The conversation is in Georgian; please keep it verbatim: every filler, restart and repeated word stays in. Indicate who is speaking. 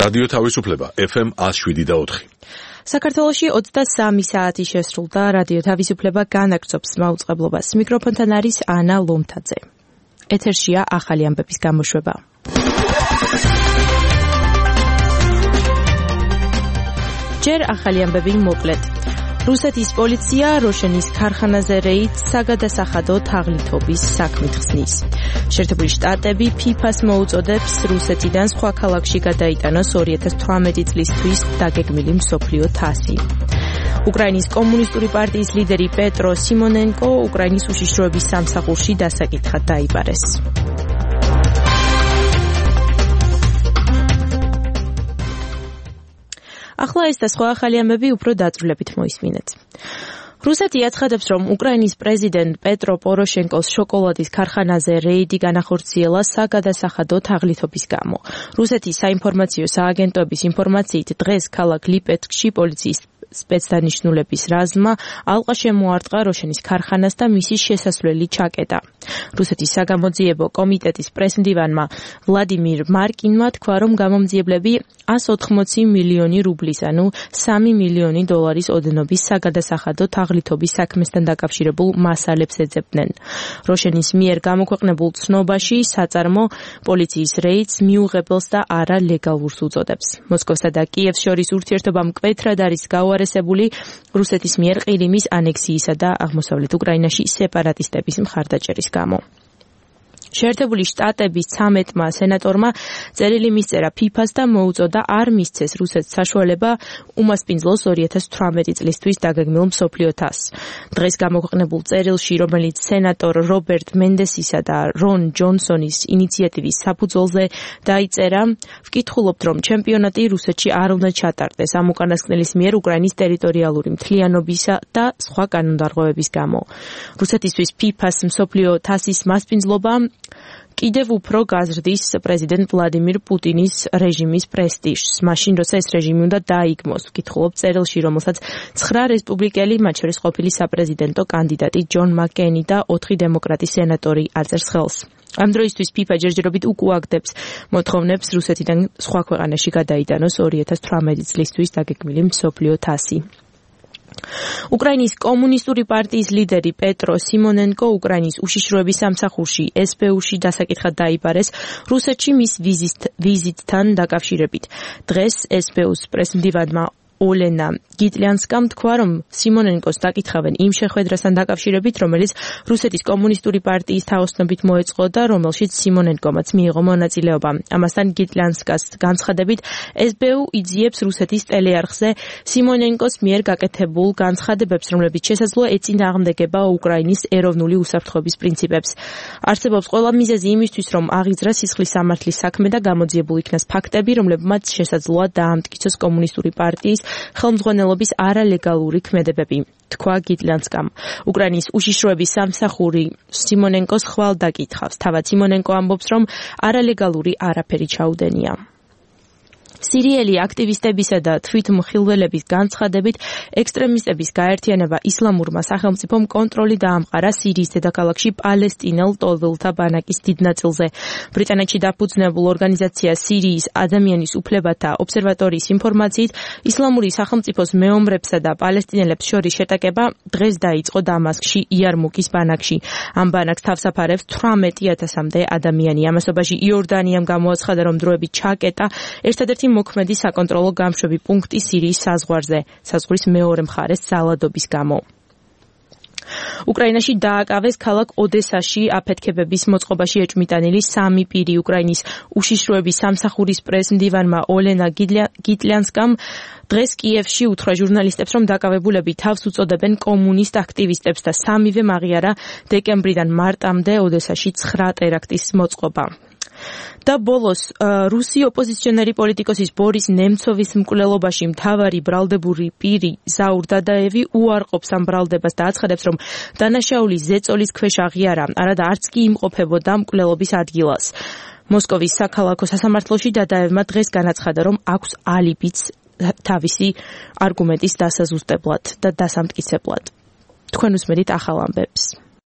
Speaker 1: რადიო თავისუფლება ეფ ემ ათს შვიდი და ოთხი.
Speaker 2: საქართველოში ოცდასამი საათი შესრულდა, რადიო თავისუფლება განაგრძობს მაუწყებლობას. მიკროფონთან არის ანა ლომთაძე. ეთერშია ახალი ამბების გამოშვება. ჯერ ახალი ამბები მოკლედ. რუსეთის პოლიცია როშენის ქარხანაზე რეიდს საგადასახადო თაღლითობის საქმით ხსნის. შეერთებული შტატები ფიფას მოუწოდებს რუსეთიდან სხვა ქალაქში გადაიტანოს ორი ათას თვრამეტი წლისთვის დაგეგმილი მსოფლიო თასი. უკრაინის კომუნისტური პარტიის ლიდერი პეტრო სიმონენკო უკრაინის უშიშროების სამსახურში დასაკითხად დაიბარეს. ახლა ეს და სხვა ახალი ამბები უფრო დაწვრილებით მოისმინეთ. რუსეთი აცხადებს, რომ უკრაინის პრეზიდენტ პეტრო პოროშენკოს შოკოლადის ქარხანაზე რეიდი განახორციელა საგადასახადო თაღლითობის გამო. რუსეთის საინფორმაციო სააგენტოების ინფორმაციით დღეს ქალაქ ლიპეტსკში პოლიციის სპეცდანიშნულების რაზმმა ალყა შემოარტყა როშენის ქარხანას და მისი შესასვლელი ჩაკეტა. რუსეთის საგამოძიებო კომიტეტის პრესმდივანმა ვლადიმირ მარკინმა თქვა, რომ გამომძიებლები ასი ოცდაოთხი მილიონი რუბლის, ანუ სამი მილიონი დოლარის ოდენობის საგადასახადო თაღლითობის საქმესთან დაკავშირებულ მასალებს ეძებდნენ. როშენის მიერ გამოქვეყნებულ ცნობაში საწარმო პოლიციის რეიდს მიუღებელს და არა ლეგალურს უწოდებს. მოსკოვსა და კიევს შორის ურთიერთობა მკვეთრად არის გაუარესებული რუსეთის მიერ ყირიმის ანექსიისა და აღმოსავლეთ უკრაინაში სეპარატისტების მხარდაჭერის გამო. შეერთებული შტატების ცამეტმა სენატორმა წერილი მისწერა ფიფას და მოუწოდა არ მისცეს რუსეთს საშუალება უმასპინძლოს ორი ათას თვრამეტი წლისთვის დაგეგმილ მსოფლიო თასს. დღეს გამოქვეყნებულ წერილში, რომელიც სენატორ რობერტ მენდესისა და რონ ჯონსონის ინიციატივის საფუძველზე დაიწერა, ვკითხულობთ, რომ ჩემპიონატი რუსეთში არ უნდა ჩატარდეს ამ უკანასკნელის მიერ უკრაინის ტერიტორიალური მთლიანობისა და სხვა კანონდარღვევების გამო. რუსეთისთვის ფიფას მსოფლიო თასის მასპინძლობა კიდევ უფრო გაზრდის პრეზიდენტ ვლადიმირ პუტინის რეჟიმის პრესტიჟს, მაშინ როცა ეს რეჟიმი უნდა დაიგმოს. ვკითხულობთ წერილში, რომელსაც ცხრა რესპუბლიკელი, მათ შორის ყოფილი საპრეზიდენტო კანდიდატი ჯონ მაკკეინი და ოთხი დემოკრატი სენატორი აწერს ხელს. ამ დროისთვის ფიფა ჯერჯერობით უკუაგდებს მოთხოვნებს რუსეთიდან სხვა ქვეყანაში გადაიტანოს ორი ათას თვრამეტი წლისთვის დაგეგმილი მსოფლიო თასი. უკრაინის კომუნისტური პარტიის ლიდერი პეტრო სიმონენკო უკრაინის უშიშროების სამსახურში ეს პე უ-ში დასაკითხად დაიბარეს რუსეთში მის ვიზიტთან დაკავშირებით. დღეს ეს პე უ-ს პრესმდივანმა ოლენა გიტლიანსკამ თქვა, რომ სიმონენკოს დაკითხავენ იმ შეხვედრასთან დაკავშირებით, რომელიც რუსეთის კომუნისტური პარტიის თაოსნობით მოეწყო და რომელშიც სიმონენკომაც მიიღო მონაწილეობა. ამასთან გიტლიანსკას განცხადებით, ეს პე უ იძიებს რუსეთის ტელეარხზე სიმონენკოს მიერ გაკეთებულ განცხადებებს, რომლებიც შესაძლოა ეწინააღმდეგება უკრაინის ეროვნული უსაფრთხოების პრინციპებს. არსებობს ყველა მიზეზი იმისთვის, რომ აღიძრა სისხლის სამართლის საქმე და გამოძიებულ იქნას ფაქტები, რომლებმაც შესაძლოა დაამტკიცოს კომუნისტური პარტიის ხელმძღვანელობის არალეგალური ქმედებები, თქვა გიტლიანსკამ. უკრაინის უშიშროების სამსახური სიმონენკოს ხვალ დაკითხავს. თავად სიმონენკო ამბობს, რომ არალეგალური არაფერი ჩაუდენია. სირიელი აქტივისტებისა და თვითმხილველების განცხადებით, ექსტრემისტების გაერთიანება ისლამურმა სახელმწიფომ კონტროლი დაამყარა სირიის დედაქალაქში პალესტინელ ტოლვილთა ბანაკის დიდ ნაწილზე. ბრიტანეთში დაფუძნებულ ორგანიზაცია სირიის ადამიანის უფლებათა ობსერვატორიის ინფორმაციით, ისლამური სახელმწიფოს მეომრებსა და პალესტინელებს შორის შეტაკება დღეს დაიწყო დამასკში იარმუკის ბანაკში. ამ ბანაკს თავსაფარებს თვრამეტი ათასამდე ადამიანი. ამასობაში იორდანიამ გამოაცხადა, რომ დროებით ჩაკეტა ერთადერთი მოქმედი საკონტროლო გამშვები პუნქტი სირიის საზღვარზე, საზღვრის მეორე მხარეს ძალადობის გამო. უკრაინაში დააკავეს ქალაქ ოდესაში აფეთქებების მოწყობაში ეჭვმიტანილი სამი პირი. უკრაინის უშიშროების სამსახურის პრესმდივანმა ოლენა გიტლიანსკამ დღეს კიევში უთხრა ჟურნალისტებს, რომ დაკავებულები თავს უწოდებენ კომუნისტ აქტივისტებს და სამივე აღიარა დეკემბრიდან მარტამდე ოდესაში ცხრა ტერაქტის მოწყობა. და ბოლოს რუსი ოპოზიციონერი პოლიტიკოსის ბორის ნემცოვის მკვლელობაში მთავარი ბრალდებური პირი ზაურ დადაევი უარყოფს ამ ბრალდებას და აცხადებს, რომ დანაშაული ზეწოლის ქვეშ აღიარა, არადა არც კი იმყოფებოდა მკვლელობის ადგილას. მოსკოვის საქალაქო სასამართლოში დადაევმა დღეს განაცხადა, რომ აქვს ალიბიც თავისი არგუმენტის დასაზუსტებლად და დასამტკიცებლად. თქვენ უსმენთ ახალ ამბებს.